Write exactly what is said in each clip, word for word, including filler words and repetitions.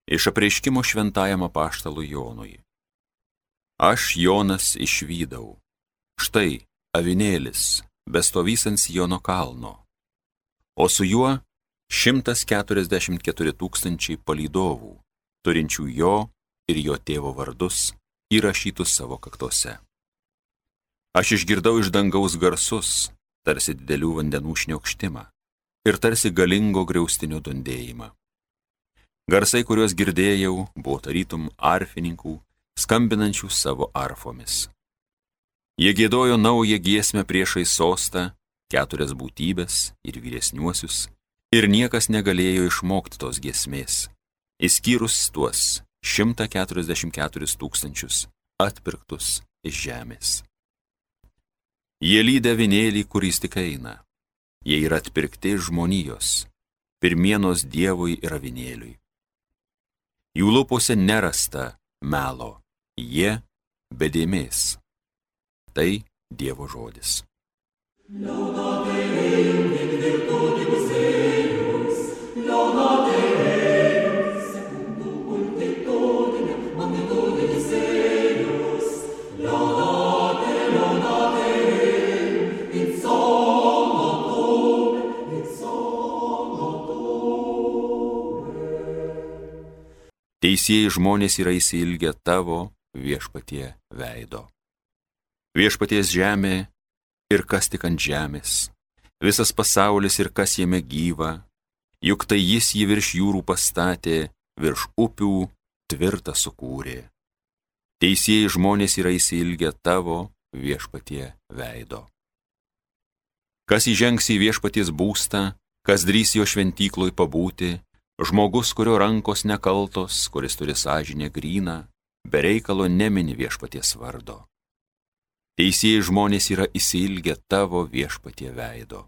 Iš apreiškimo šventajam apaštalui Jonui. Aš, Jonas, išvydau. Štai avinėlis, bestovys ant Siono kalno, o su juo šimtas keturiasdešimt keturi tūkstančiai palydovų, turinčių jo ir jo tėvo vardus įrašytus savo kaktose. Aš išgirdau iš dangaus garsus, tarsi didelių vandenų šniokštimą ir tarsi galingo griaustinio dundėjimą. Garsai, kuriuos girdėjau, buvo tarytum arfininkų, skambinančių savo arfomis. Jie giedojo naują giesmę priešais sostą, keturias būtybės ir vyresniuosius, ir niekas negalėjo išmokti tos giesmės, išskyrus tuos šimtą keturiasdešimt keturis tūkstančius atpirktus iš žemės. Jie lydi avinėlį, kuris tik eina. Jie yra atpirkti žmonijos, pirmienos Dievui ir avinėliui. Jų lūpose nerasta melo, jie be dėmės. Tai Dievo žodis. Teisieji žmonės yra įsiilgę tavo, Viešpatie, veido. Viešpaties žemė ir kas tik ant žemės, visas pasaulis ir kas jame gyva, juk tai jis jį virš jūrų pastatė, virš upių tvirtą sukūrė. Teisieji žmonės yra įsiilgę tavo, Viešpatie, veido. Kas įžengs į Viešpaties būstą, kas drįs jo šventykloj pabūti, žmogus, kurio rankos nekaltos, kuris turi sąžinę gryną, be reikalo nemini Viešpaties vardo. Teisieji žmonės yra įsiilgę tavo, Viešpatie, veido.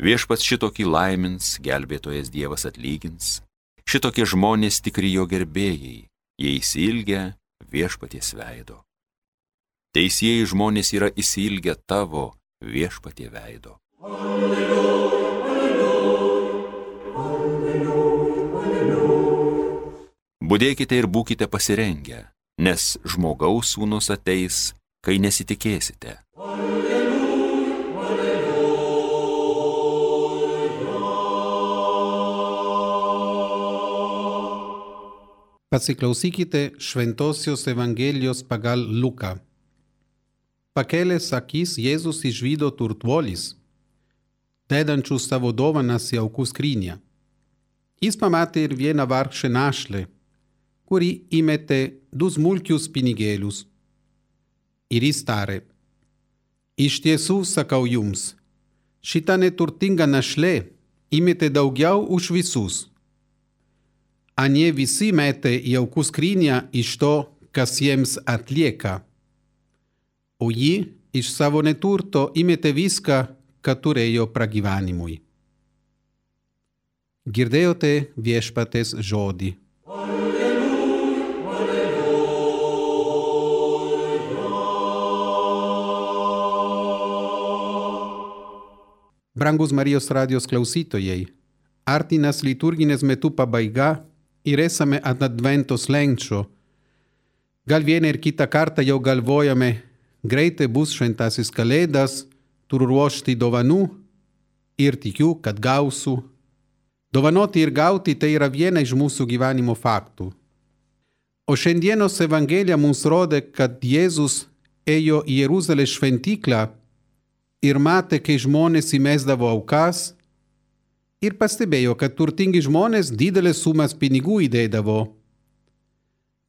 Viešpats šitokį laimins, gelbėtojas Dievas atlygins, šitokie žmonės tikri jo gerbėjai, jie įsiilgę Viešpaties veido. Teisieji žmonės yra įsiilgę tavo, Viešpatie, veido. Alleluja. Budėkite ir būkite pasirengę, nes žmogaus sūnus ateis, kai nesitikėsite. Alleluja, alleluja. Pasiklausykite Šventosios Evangelijos pagal Luką. Pakėlęs akis Jėzus išvydo turtuolis, dedančius savo dovanas į aukų skrynią. Jis pamatė ir vieną vargšę našlę, kuri įmetė du smulkius pinigėlius. Ir jis tarė: iš tiesų sakau jums, šita neturtinga našlė įmetė daugiau už visus. Anie visi metė į aukų skrynią iš to, kas jiems atlieka. O ji iš savo neturto įmetė viską, ką turėjo pragyvenimui. Girdėjote Viešpaties žodį. Brangus Marijos radijos klausytojai, artinas liturginės metų pabaiga ir esame ant advento slenksčio. Gal vieną ir kitą kartą jau galvojame, greitai bus šventasis kalėdas, turiu ruošti dovanų ir tikiu, kad gausiu. Dovanoti ir gauti tai yra viena iš mūsų gyvenimo faktų. O šiandienos Evangelija mums rodo, kad Jėzus ėjo į Jeruzalės šventyklą ir matė, kai žmonės įmesdavo aukas, ir pastebėjo, kad turtingi žmonės didelės sumas pinigų įdėdavo.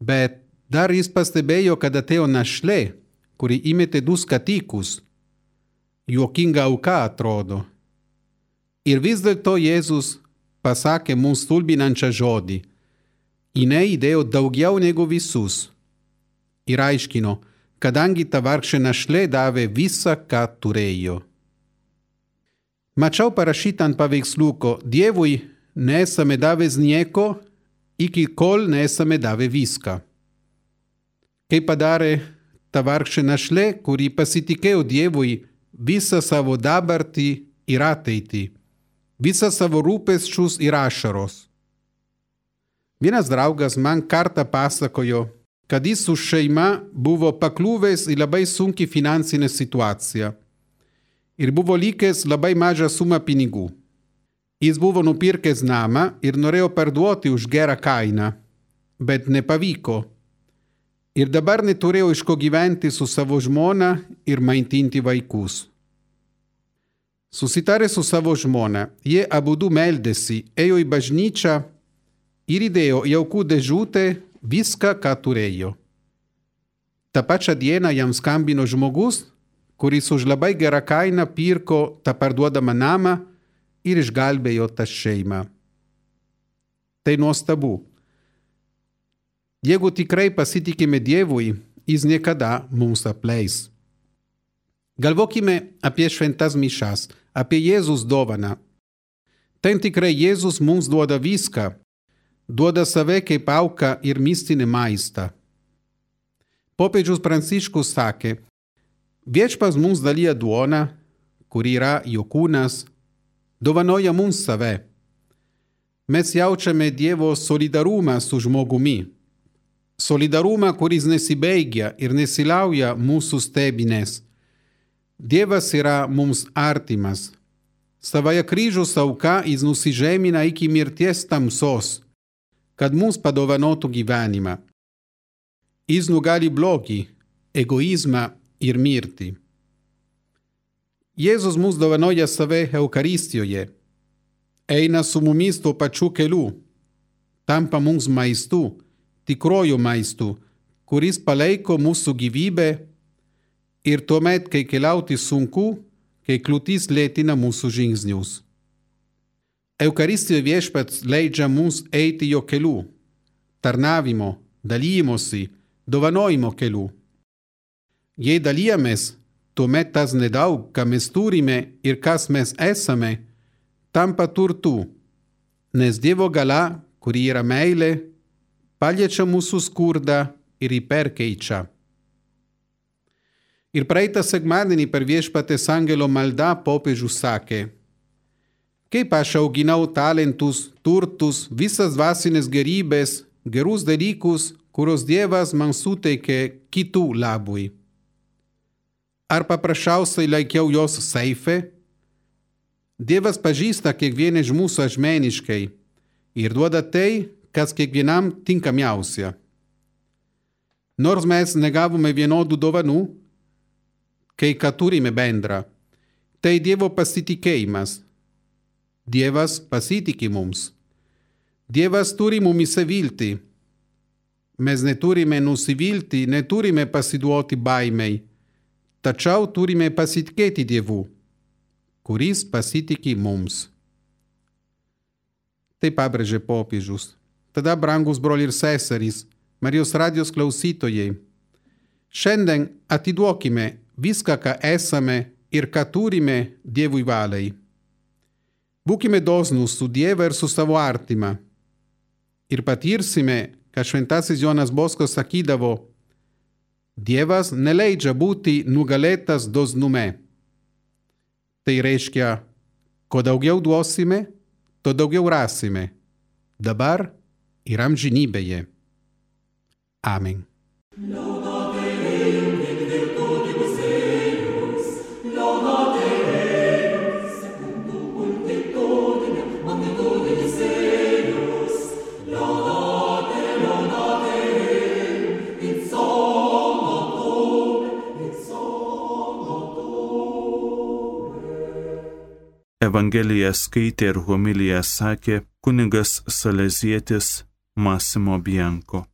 Bet dar jis pastebėjo, kad atėjo našlė, kuri įmetė du skatikus. Juokinga auka atrodo. Ir vis dėlto Jėzus pasakė mums stulbinančią žodį. Jinai įdėjo daugiau negu visus. Ir aiškino, kadangi ta vargšė našlė davė visą, ką turėjo. Mačiau parašytą ant paveiksliuko: Dievui nesame davęs nieko, iki kol nesame davę viską. Kaip padarė ta vargšė našlė, kuri pasitikėjo Dievui visą savo dabartį ir ateitį, visą savo rūpesčius ir ašaros. Vienas draugas man kartą pasakojo, kad jis su šeima buvo pakliuvęs į labai sunkią finansinę situaciją ir buvo likęs labai mažą sumą pinigų. Jis buvo nupirkęs namą ir norėjo parduoti už gerą kainą, bet nepavyko. Ir dabar neturėjo iš ko gyventi su savo žmona ir maitinti vaikus. Susitarę su savo žmona, jie abudu meldėsi, ėjo į bažnyčią ir įdėjo į aukų dėžutę viską, ką turėjo. Ta pačią dieną jam skambino žmogus, kuris už labai gerą kainą pirko tą parduodamą namą ir išgelbėjo tą šeimą. Tai nuostabu. Jeigu tikrai pasitikime Dievui, jis niekada mums apleis. Galvokime apie šventas mišas, apie Jėzus dovaną. Ten tikrai Jėzus mums duoda viską, duoda save kaip auką ir mistinį maistą. Popiežius Pranciškus sakė, viešpats mums dalija duoną, kuri yra jo kūnas, dovanoja mums save. Mes jaučiame Dievo solidarumą su žmogumi. Solidarumą, kuris nesibaigia ir nesilauja mūsų stebinės. Dievas yra mums artimas. Savoje kryžiaus auka jis nusižemina iki mirties tamsos, kad mums padovanotų gyvenimą. Jis nugali blogį, egoizmą ir mirtį. Jėzus mums dovanoja save Eucharistijoje. Eina su mumis tuo pačiu keliu. Tampa mums maistu, tikroju maistu, kuris palaiko mūsų gyvybę ir tuomet, kai keliauti sunku, kai kliūtis lėtina mūsų žingsnius. Eucharistijoje viešpats leidžia mums eiti jo keliu, tarnavimo, dalymosi, dovanojimo keliu. Jei dalijamės, tuomet tas nedaug, ką mes turime ir kas mes esame, tampa turtu, nes Dievo galia, kuri yra meilė, paliečia mūsų skurdą ir jį perkeičia. Ir praeitą sekmadienį per viešpatės angelo maldą popiežius sakė, kaip aš auginau talentus, turtus, visas dvasinės gerybės, gerus dalykus, kuriuos Dievas man suteikė kitų labui. Ar paprasčiausiai laikiau jos seife? Dievas pažįsta kiekvieną iš mūsų asmeniškai ir duoda tai, kas kiekvienam tinkamiausia. Nors mes negavome vienodų dovanų, kai ką turime bendrą, tai Dievo pasitikėjimas. Dievas pasitiki mums. Dievas turi mumise viltį. Mes neturime nusivilti, neturime pasiduoti baimei, tačiau turime pasitikėti Dievu, kuris pasitiki mums. Tai pabrėžė popiežius. Tada, brangus broliai ir seserys, Marijos radijos klausytojai, šiandien atiduokime viską, ką esame ir ką turime Dievui valiai. Būkime dosnūs su Dievu ir su savo artima. Ir patirsime, kad šventasis Jonas Boskas sakydavo, Dievas neleidžia būti nugalėtas dosnume. Tai reiškia, ko daugiau duosime, to daugiau rasime. Dabar ir amžinybėje. Amen. Evangeliją skaitė ir homiliją sakė kunigas salezietis Massimo Bianco.